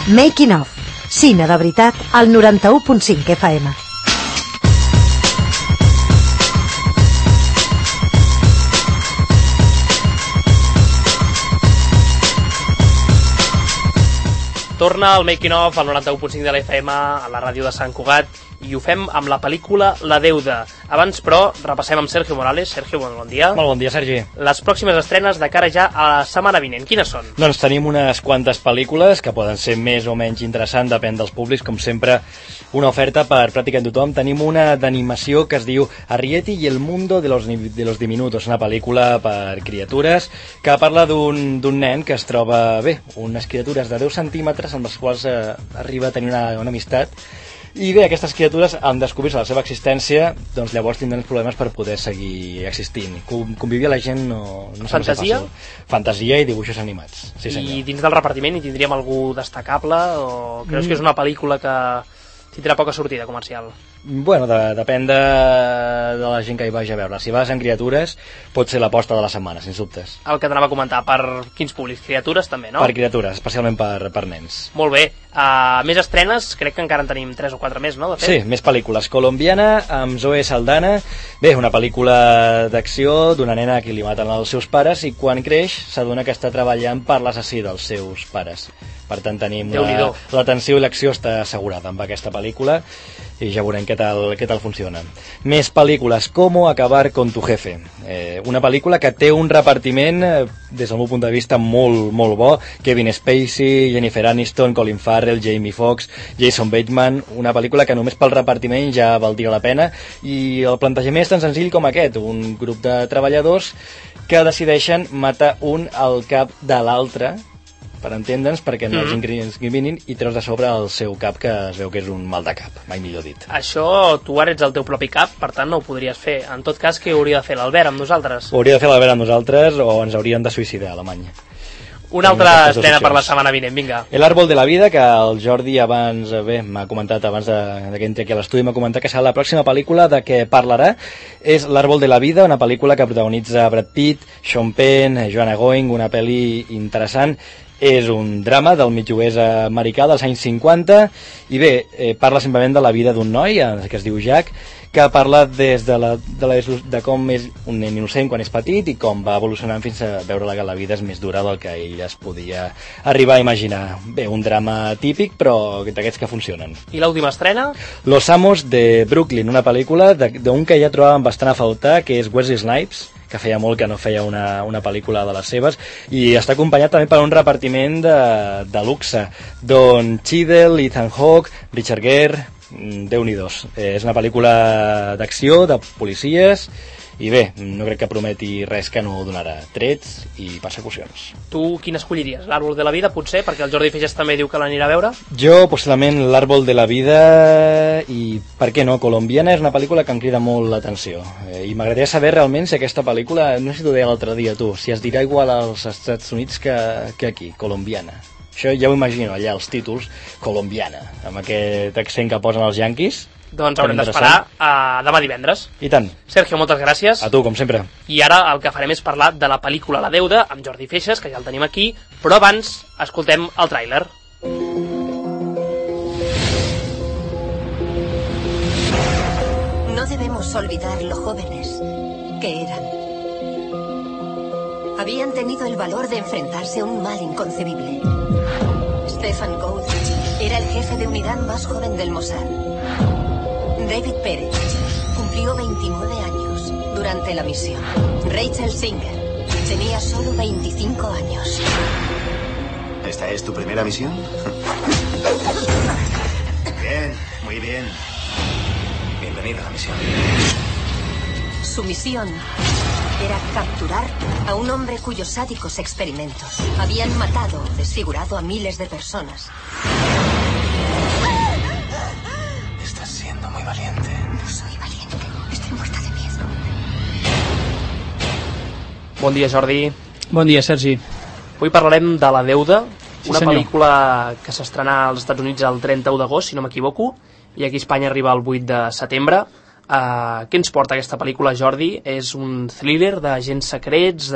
Making of. Cine de veritat al 91.5 FM. Torna al Making of al 91.5 de l'FM a la ràdio de Sant Cugat i ho fem amb la pel·lícula La Deuda. Abans, però, repassem amb Sergio Morales. Sergio, bon dia. Molt bon dia, Sergi. Les pròximes estrenes de cara ja a la setmana vinent, quines són? Doncs tenim unes quantes pel·lícules que poden ser més o menys interessants, depèn dels públics, com sempre, una oferta per pràcticament tothom. Tenim una d'animació que es diu Arrietty y el mundo de los diminutos, una pel·lícula per criatures que parla d'un nen que es troba, unes criatures de 10 centímetres amb les quals arriba a tenir una amistat. I bé, aquestes criatures, en descobrir-se la seva existència, doncs llavors tindran problemes per poder seguir existint. Convivir a la gent no Fantasia? Fantasia i dibuixos animats. Sí, I dins del repartiment hi tindríem algú destacable o creus que és una pel·lícula que tindrà poca sortida comercial? Bueno, depèn de la gent que hi vagi a veure. Si vas en criatures, pot ser l'aposta de la setmana, sens dubtes. El que t'anava a comentar, per quins públics? Criatures també, no? Per criatures, especialment per nens. Molt bé. Més estrenes, crec que encara en tenim 3 o 4 més, no? De fet? Sí, més pel·lícules. Colombiana, amb Zoe Saldana. Bé, una pel·lícula d'acció d'una nena a qui li maten els seus pares i quan creix s'adona que està treballant per l'assassí dels seus pares. Per tant, tenim l'atenció i l'acció està assegurada amb aquesta pel·lícula i ja veurem què tal funciona. Més pel·lícules, Cómo acabar con tu jefe. Una pel·lícula que té un repartiment, des del meu punt de vista, molt, molt bo. Kevin Spacey, Jennifer Aniston, Colin Farrell, Jamie Foxx, Jason Bateman. Una pel·lícula que només pel repartiment ja valdria la pena. I el plantejament és tan senzill com aquest. Un grup de treballadors que decideixen matar un al cap de l'altre, per entendre'ns, perquè no els incriminin i treus de sobre el seu cap, que es veu que és un mal de cap, mai millor dit. Això, tu ara ets el teu propi cap, per tant no ho podries fer. En tot cas, què hauria de fer l'Albert amb nosaltres? Ho hauria de fer l'Albert amb nosaltres o ens haurien de suïcidar a Alemanya. Una altra estrena per la setmana vinent, vinga. El árbol de la vida, que el Jordi abans m'ha comentat, abans que entri aquí a l'estudi, m'ha comentat que serà la pròxima pel·lícula de què parlarà. És L'árbol de la vida, una pel·lícula que protagonitza Brad Pitt, Sean Penn, Joanna Going, una pel·li interessant. És un drama del mig-oest americà dels anys 50 i bé, parla simplement de la vida d'un noi que es diu Jack, que parla des de com és un nen innocent quan és petit i com va evolucionant fins a veure que la vida és més dura del que ell es podia arribar a imaginar. Bé, un drama típic, però d'aquests que funcionen. I l'última estrena? Los amos de Brooklyn, una pel·lícula d'un que ja trobàvem bastant a faltar, que és Wesley Snipes, que feia molt que no feia una pel·lícula de les seves, i està acompanyat també per un repartiment de luxe. Don Cheadle, Ethan Hawke, Richard Gere, Déu-n'hi-dos. És una pel·lícula d'acció, de policies, i bé, no crec que prometi res que no donarà trets i persecucions. Tu quin escolliries? L'Àrbol de la vida, potser? Perquè el Jordi Feixas també diu que l'anirà a veure? Jo, possiblement, L'Àrbol de la vida i, per què no, Colombiana és una pel·lícula que em crida molt l'atenció. I m'agradaria saber realment si aquesta pel·lícula, no sé si t'ho deia l'altre dia tu, si es dirà igual als Estats Units que aquí, Colombiana. Això ja ho imagino, allà, els títols, Colombiana, amb aquest accent que posen els yanquis. Doncs haurem d'esperar demà divendres. I tant. Sergio, moltes gràcies. A tu, com sempre. I ara el que farem és parlar de la pel·lícula La Deuda, amb Jordi Feixas, que ja el tenim aquí, però abans escoltem el tràiler. No debemos olvidar lo jóvenes que eran. Habían tenido el valor de enfrentarse a un mal inconcebible. Stefan Gould era el jefe de unidad más joven del Mossad. David Pérez cumplió 29 años durante la misión. Rachel Singer tenía solo 25 años. ¿Esta es tu primera misión? Bien, muy bien. Bienvenido a la misión. Su misión era capturar a un hombre cuyos sádicos experimentos habían matado o desfigurado a miles de personas. Estás siendo muy valiente. No soy valiente, estoy muerta de miedo. Bon dia, Jordi. Bon dia, Sergi. Avui parlarem de La Deuda, una senyor. pel·lícula que s'estrenà als Estats Units el 31 d'agost, si no m'equivoco, i aquí a Espanya arriba el 8 de setembre. Què ens porta aquesta pel·lícula, Jordi? És un thriller d'agents secrets,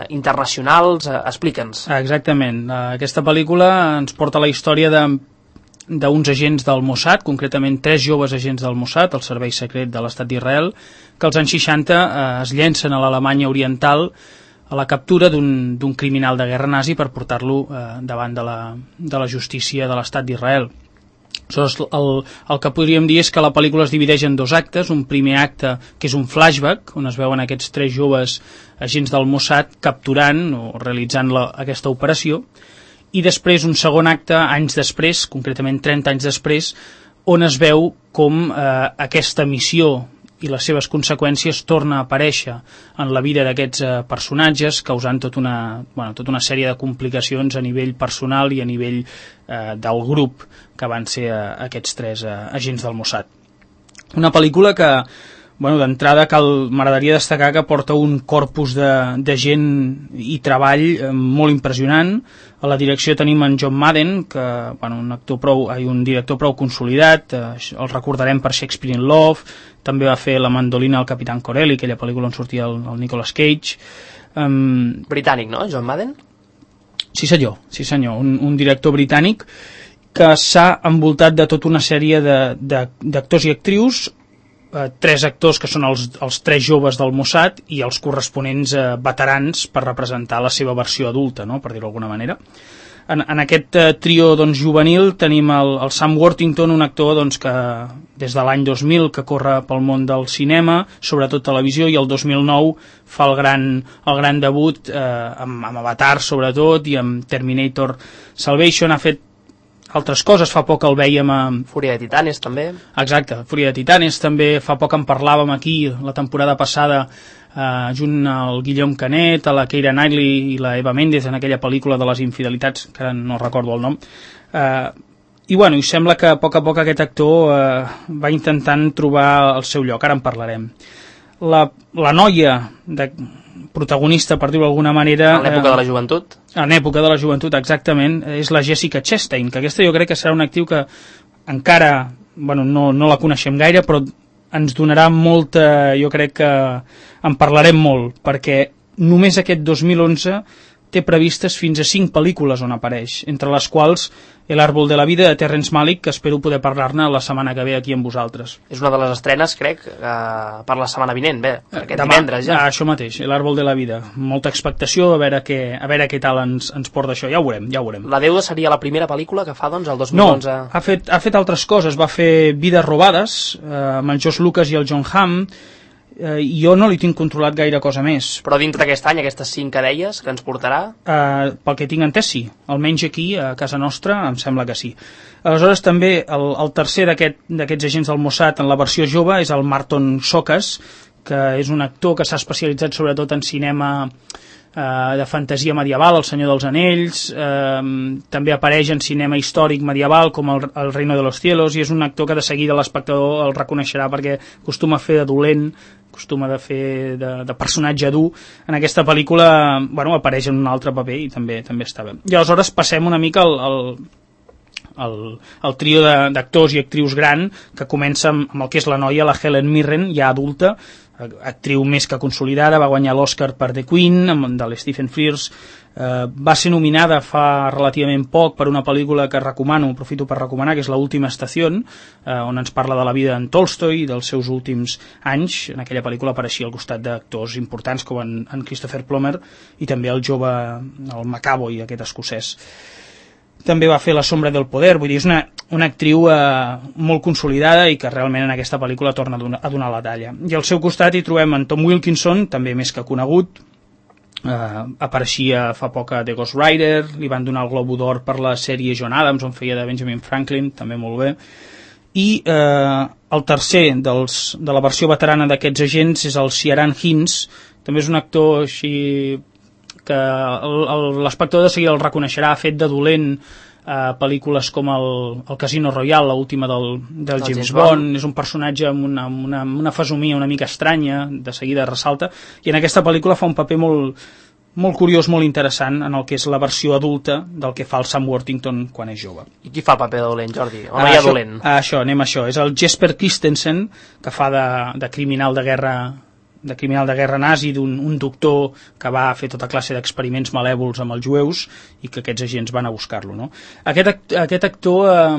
internacionals? Explica'ns. Exactament. Aquesta pel·lícula ens porta la història d'uns agents del Mossad, concretament 3 joves agents del Mossad, el servei secret de l'estat d'Israel, que als anys 60 es llencen a l'Alemanya oriental a la captura d'un criminal de guerra nazi per portar-lo davant de la justícia de l'estat d'Israel. El que podríem dir és que la pel·lícula es divideix en 2 actes, un primer acte que és un flashback, on es veuen aquests 3 joves agents del Mossad capturant o realitzant aquesta operació, i després un segon acte, anys després, concretament 30 anys després, on es veu com aquesta missió i les seves conseqüències torna a aparèixer en la vida d'aquests personatges, causant tota una sèrie de complicacions a nivell personal i a nivell del grup que van ser aquests 3 agents del Mossad. Una pel·lícula que, d'entrada m'agradaria destacar que porta un corpus de gent i treball molt impressionant. A la direcció tenim en John Madden, que un director prou consolidat, el recordarem per Shakespeare in Love, també va fer La mandolina al Capitán Corelli, aquella pel·lícula on sortia el Nicolas Cage. Britànic, no, John Madden? Sí senyor, un director britànic que s'ha envoltat de tota una sèrie d'actors i actrius, 3 actors que són els 3 joves del Mossad i els corresponents veterans per representar la seva versió adulta, no? Per dir-ho d'alguna manera. En aquest trio juvenil tenim el Sam Worthington, un actor que des de l'any 2000 que corre pel món del cinema, sobretot televisió, i el 2009 fa el gran debut amb Avatar sobretot i amb Terminator Salvation. Ha fet altres coses, fa poc el vèiem a Fúria de Titanes també. Exacte, Fúria de Titanes també, fa poc en parlàvem aquí la temporada passada junt al Guillaume Canet, a la Keira Knightley i la Eva Méndez en aquella pel·lícula de les infidelitats, que ara no recordo el nom. I sembla que a poc aquest actor va intentant trobar el seu lloc, ara en parlarem. La noia protagonista, per dir-ho d'alguna manera... En l'època de la joventut? En època de la joventut, exactament, és la Jessica Chastain, que aquesta jo crec que serà una actriu que encara no la coneixem gaire, però ens donarà molta... Jo crec que en parlarem molt, perquè només aquest 2011 té previstes fins a 5 pel·lícules on apareix, entre les quals El árbol de la vida de Terrence Malick, que espero poder parlar-ne la setmana que ve aquí amb vosaltres. És una de les estrenes, crec, per la setmana vinent, aquest divendres ja. Això mateix, El árbol de la vida. Molta expectació, a veure què tal ens porta això, ja ho veurem. La Deuda seria la primera pel·lícula que fa, el 2011? No, ha fet altres coses, va fer Vides robades, amb el Josh Lucas i el John Hamm, jo no li tinc controlat gaire cosa més. Però dintre d'aquest any, aquestes 5 que deies, que ens portarà? Pel que tinc entès, sí. Almenys aquí, a casa nostra, em sembla que sí. Aleshores, també, el tercer d'aquests agents del Mossad en la versió jove és el Marton Sokas, que és un actor que s'ha especialitzat sobretot en cinema de fantasia medieval, El Senyor dels Anells, també apareix en cinema històric medieval com el Reino de los Cielos, i és un actor que de seguida l'espectador el reconeixerà perquè acostuma a fer de dolent, acostuma a fer de personatge dur. En aquesta pel·lícula apareix en un altre paper i també està bé. I aleshores passem una mica el trio d'actors i actrius gran, que comença amb el que és la noia, la Helen Mirren, ja adulta, actriu més que consolidada, va guanyar l'Oscar per The Queen, de l'Stephen Frears, va ser nominada fa relativament poc per una pel·lícula que aprofito per recomanar, que és L'última estació, on ens parla de la vida d'en Tolstoi i dels seus últims anys. En aquella pel·lícula apareixia al costat d'actors importants com en Christopher Plummer i també el jove, el McAvoy, aquest escocès. També va fer La sombra del poder, vull dir, és una actriu molt consolidada i que realment en aquesta pel·lícula torna a donar la talla. I al seu costat hi trobem en Tom Wilkinson, també més que conegut, apareixia fa poc a The Ghost Rider, li van donar el Globo d'Or per la sèrie John Adams, on feia de Benjamin Franklin, també molt bé. I el tercer de la versió veterana d'aquests agents és el Ciarán Hinds, també és un actor així que l'espectador de seguida el reconeixerà, ha fet de dolent pel·lícules com el Casino Royale, l'última del James Bond. És un personatge amb una fesomia una mica estranya, de seguida ressalta, i en aquesta pel·lícula fa un paper molt, molt curiós, molt interessant en el que és la versió adulta del que fa el Sam Worthington quan és jove. I qui fa el paper de dolent, Jordi? O no hi ha dolent? Anem a això. És el Jesper Christensen, que fa de criminal de guerra nazi, d'un doctor que va fer tota classe d'experiments malèvols amb els jueus i que aquests agents van a buscar-lo, no? Aquest actor ha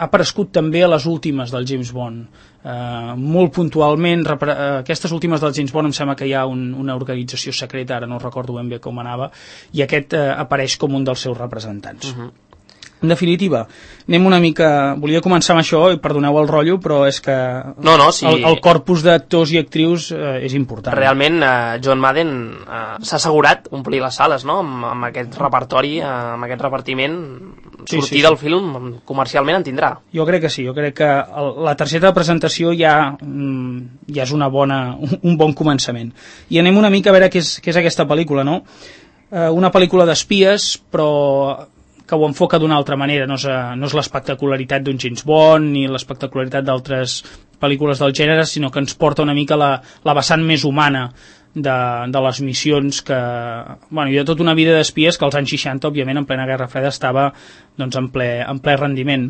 aparegut també a les últimes del James Bond, molt puntualment. Aquestes últimes del James Bond em sembla que hi ha una organització secreta, ara no recordo ben bé com anava, i aquest apareix com un dels seus representants. En definitiva, anem una mica... Volia començar amb això, i perdoneu el rotllo, però és que sí. el corpus d'actors i actrius és important. Realment, John Madden s'ha assegurat omplir les sales, no?, amb aquest repertori, amb aquest repartiment. Sortir del film comercialment en tindrà. Jo crec que sí, jo crec que la targeta de presentació ja és un bon començament. I anem una mica a veure què és aquesta pel·lícula, no? Una pel·lícula d'espies, però que ho enfoca d'una altra manera, no és l'espectacularitat d'un James Bond ni l'espectacularitat d'altres pel·lícules del gènere, sinó que ens porta una mica la vessant més humana de les missions que... Bueno, hi ha tota una vida d'espies que als anys 60, òbviament, en plena Guerra Freda, estava doncs, en ple rendiment.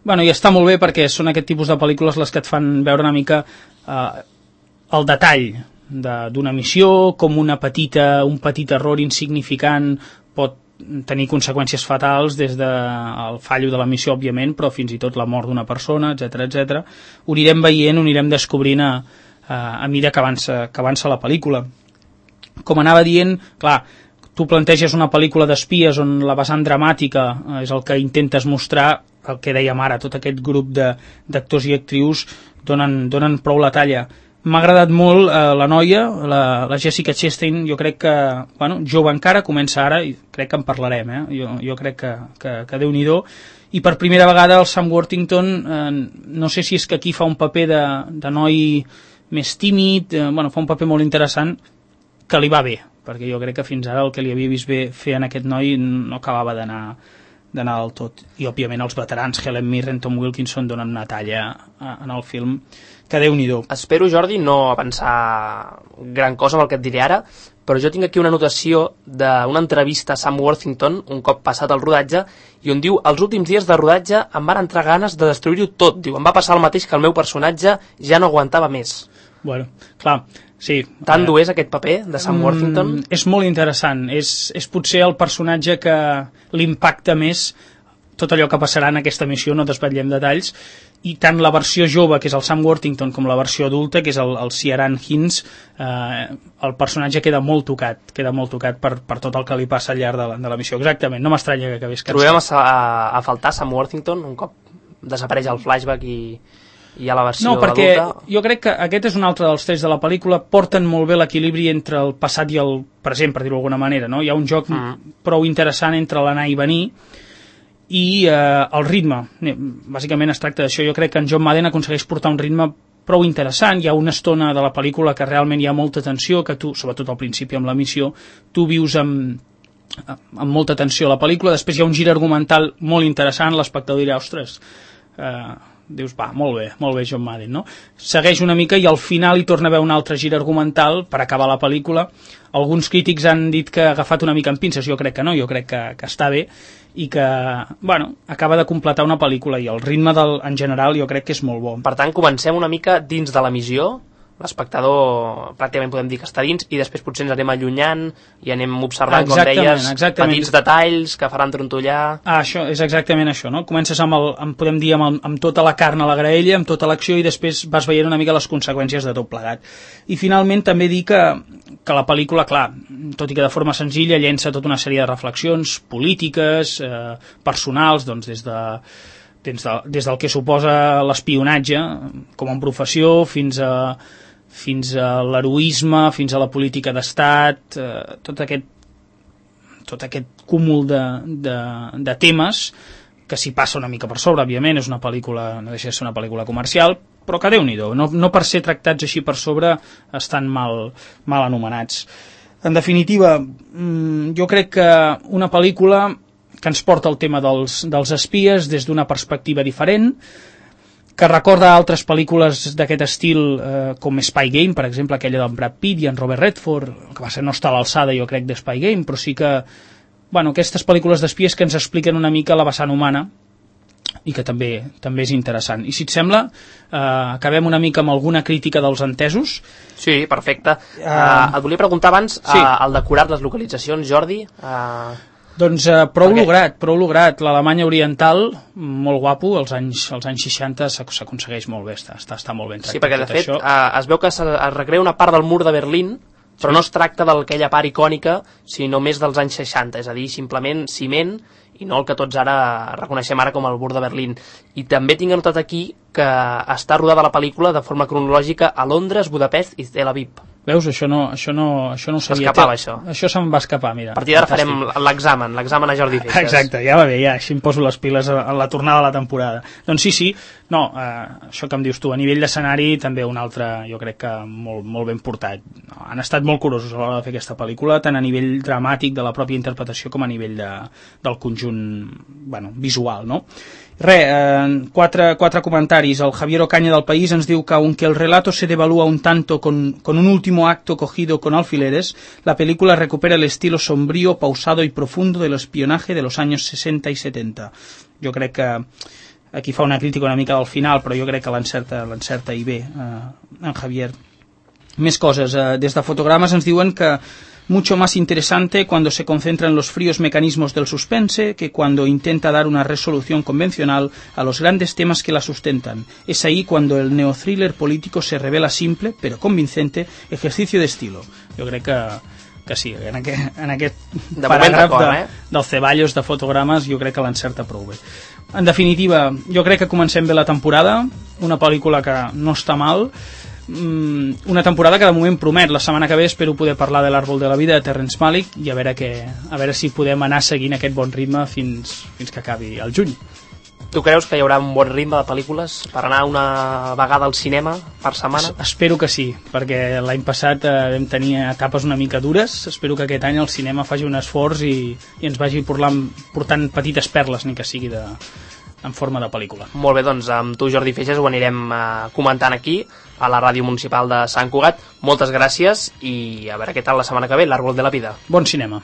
Bueno, i està molt bé perquè són aquest tipus de pel·lícules les que et fan veure una mica el detall d'una missió, com un petit error insignificant pot tenir conseqüències fatals, des del fallo de la missió, òbviament, però fins i tot la mort d'una persona, etc. Ho anirem veient, ho anirem descobrint a mesura que avança la pel·lícula. Com anava dient, clar, tu planteges una pel·lícula d'espies on la vessant dramàtica és el que intentes mostrar, el que dèiem ara, tot aquest grup d'actors i actrius donen prou la talla. M'ha agradat molt la noia, la Jessica Chastain. Jo crec que, bueno, jove encara, comença ara, i crec que en parlarem, jo crec que Déu-n'hi-do. I per primera vegada el Sam Worthington, no sé si és que aquí fa un paper de noi més tímid, fa un paper molt interessant que li va bé, perquè jo crec que fins ara el que li havia vist bé fer en aquest noi no acabava d'anar del tot. I òbviament els veterans Helen Mirren, Tom Wilkinson donen una talla en el film que Déu-n'hi-do. Espero, Jordi, no avançar gran cosa amb el que et diré ara, però jo tinc aquí una anotació d'una entrevista a Sam Worthington un cop passat el rodatge, i on diu: els últims dies de rodatge em van entrar ganes de destruir-ho tot. Diu, em va passar el mateix que el meu personatge ja no aguantava més. Bueno, clar, sí. Tant dur és aquest paper de Sam Worthington? És molt interessant. És potser el personatge que l'impacta més tot allò que passarà en aquesta missió, no desvetllem detalls, i tant la versió jove, que és el Sam Worthington, com la versió adulta, que és el Ciaran Hinds, el personatge queda molt tocat per tot el que li passa al llarg de la missió. Exactament, no m'estranya que acabés cansat. Trobem a faltar Sam Worthington un cop desapareix el flashback i hi ha la versió adulta? No, perquè jo crec que aquest és un altre dels trets de la pel·lícula. Porten molt bé l'equilibri entre el passat i el present, per dir-ho d'alguna manera, no? Hi ha un joc prou interessant entre l'anar i venir, i el ritme. Bàsicament es tracta d'això. Jo crec que en John Madden aconsegueix portar un ritme prou interessant. Hi ha una estona de la pel·lícula que realment hi ha molta tensió, que tu, sobretot al principi amb la missió, tu vius amb molta tensió la pel·lícula. Després hi ha un gir argumental molt interessant, l'espectador dirà, ostres, dius, va, molt bé John Madden, no? Segueix una mica i al final hi torna a haver un altre gir argumental per acabar la pel·lícula. Alguns crítics han dit que ha agafat una mica en pinces, jo crec que no, jo crec que està bé, i que, bueno, acaba de completar una pel·lícula, i el ritme en general jo crec que és molt bo. Per tant, comencem una mica dins de la missió, l'espectador pràcticament podem dir que està dins, i després potser ens anem allunyant i anem observant, com deies, petits detalls que faran trontollar. Això és exactament això, no? Comences podem dir, amb tota la carn a la graella, amb tota l'acció, i després vas veient una mica les conseqüències de tot plegat. I finalment també dir que la pel·lícula, clar, tot i que de forma senzilla, llença tota una sèrie de reflexions polítiques, personals, doncs des del que suposa l'espionatge com a professió fins a l'heroisme, fins a la política d'estat, tot aquest cúmul de temes que s'hi passa una mica per sobre. Òbviament és una pel·lícula, no deixa de ser una pel·lícula comercial, però que Déu-n'hi-do, no per ser tractats així per sobre estan mal anomenats. En definitiva, jo crec que una pel·lícula que ens porta el tema dels espies des d'una perspectiva diferent, que recorda altres pel·lícules d'aquest estil, com Spy Game, per exemple, aquella d'en Brad Pitt i en Robert Redford, que va ser no està a l'alçada, jo crec, de Spy Game, però sí que, bueno, aquestes pel·lícules d'espies que ens expliquen una mica la vessant humana i que també és interessant. I si et sembla, acabem una mica amb alguna crítica dels entesos. Sí, perfecte. Et volia preguntar abans, sí. El decorat, les localitzacions, Jordi... Doncs prou lograt. L'Alemanya Oriental, molt guapo, als anys 60 s'aconsegueix molt bé, està molt ben tractat. Sí, perquè de fet es veu que es recrea una part del mur de Berlín, però no es tracta d'aquella part icònica, sinó més dels anys 60, és a dir, simplement ciment, i no el que tots ara reconeixem ara com el mur de Berlín. I també tinc anotat aquí que està rodada la pel·lícula de forma cronològica a Londres, Budapest i Tel Aviv. Veus? Això no ho sabia. S'escapava, això. Això se'm va escapar, mira. A partir d'ara farem l'examen a Jordi Feixes. Exacte, ja va bé, ja, així em poso les piles a la tornada de la temporada. Doncs sí, no, això que em dius tu, a nivell d'escenari també un altre, jo crec que molt ben portat. Han estat molt curosos a l'hora de fer aquesta pel·lícula, tant a nivell dramàtic de la pròpia interpretació com a nivell del conjunt, bueno, visual, no? Quatre comentaris. El Javier Ocaña del País ens diu que aunque el relato se devalúa un tanto con un último acto cogido con alfileres, la película recupera el estilo sombrío, pausado y profundo del espionaje de los años 60 y 70. Jo crec que aquí fa una crítica una mica del final, però jo crec que l'encerta i bé en Javier. Més coses. Des de Fotogrames ens diuen que mucho más interesante cuando se concentra en los fríos mecanismos del suspense que cuando intenta dar una resolución convencional a los grandes temas que la sustentan. Es ahí cuando el neothriller político se revela simple, pero convincente, ejercicio de estilo. Jo crec que sí, en aquest paràgraf del Ceballos de Fotogrames jo crec que l'encerta prou bé. En definitiva, jo crec que comencem bé la temporada, una pel·lícula que no està mal, una temporada que de moment promet. La setmana que ve espero poder parlar de l'Àrbol de la Vida de Terrence Malick i a veure si podem anar seguint aquest bon ritme fins que acabi el juny. Tu creus que hi haurà un bon ritme de pel·lícules per anar una vegada al cinema per setmana? Espero que sí, perquè l'any passat vam tenir etapes una mica dures. Espero que aquest any el cinema faci un esforç i ens vagi portant petites perles, ni que sigui en forma de pel·lícula. Molt bé, doncs amb tu, Jordi Feixes, ho anirem comentant aquí a la Ràdio Municipal de Sant Cugat. Moltes gràcies i a veure què tal la setmana que ve, l'Àrbol de la Vida. Bon cinema.